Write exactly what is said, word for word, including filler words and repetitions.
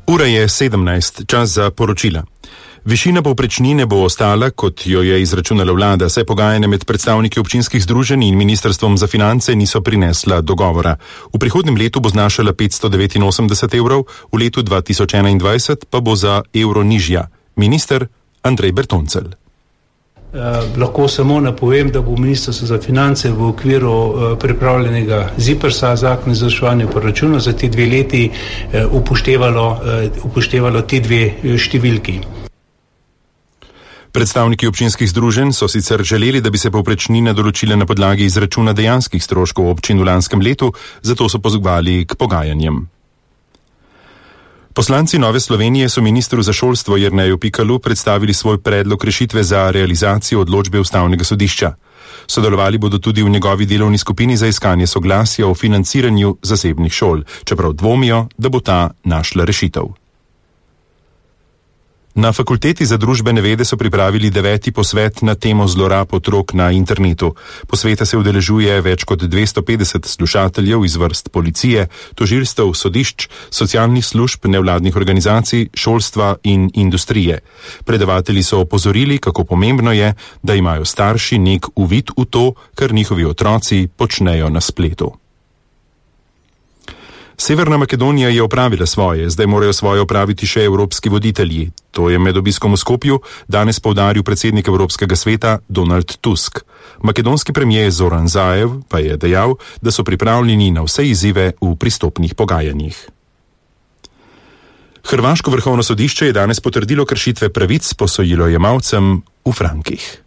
Ura je sedemnajst, čas za poročila. Višina povprečnine bo ostala, kot jo je izračunala vlada, saj pogajanja med predstavniki občinskih združenj in ministrstvom za finance niso prinesla dogovora. V prihodnjem letu bo znašala petsto devetinosemdeset evrov, v letu dva tisoč enaindvajset pa bo za evro nižja. Minister Andrej Bertoncelj. Eh, lahko samo napovem, da bo ministrstvo za finance v okviru eh, pripravljenega ZIPRS-a, zakon o izvrševanju proračuna za ti dve leti eh, upoštevalo, eh, upoštevalo ti dve številki. Predstavniki občinskih združenj so sicer želeli, da bi se povprečnine določile na podlagi izračuna dejanskih stroškov občin v lanskem letu, zato so pozvali k pogajanjem. Poslanci Nove Slovenije so ministru za šolstvo Jerneju Pikalu predstavili svoj predlog rešitve za realizacijo odločbe Ustavnega sodišča. Sodelovali bodo tudi v njegovi delovni skupini za iskanje soglasja o financiranju zasebnih šol, čeprav dvomijo, da bo ta našla rešitev. Na Fakulteti za družbene vede so pripravili deveti posvet na temo zlorab otrok na internetu. Posveta se udeležuje več kot dvesto petdeset slušateljev iz vrst policije, tožilstev, sodišč, socialnih služb, nevladnih organizacij, šolstva in industrije. Predavatelji so opozorili, kako pomembno je, da imajo starši nek uvid v to, kar njihovi otroci počnejo na spletu. Severna Makedonija je opravila svoje, zdaj morajo svoje opraviti še evropski voditelji. To je med obiskom v Skopju danes poudaril predsednik Evropskega sveta Donald Tusk. Makedonski premijer Zoran Zaev pa je dejal, da so pripravljeni na vse izzive v pristopnih pogajanjih. Hrvaško vrhovno sodišče je danes potrdilo kršitve pravic posojilojemalcem v frankih.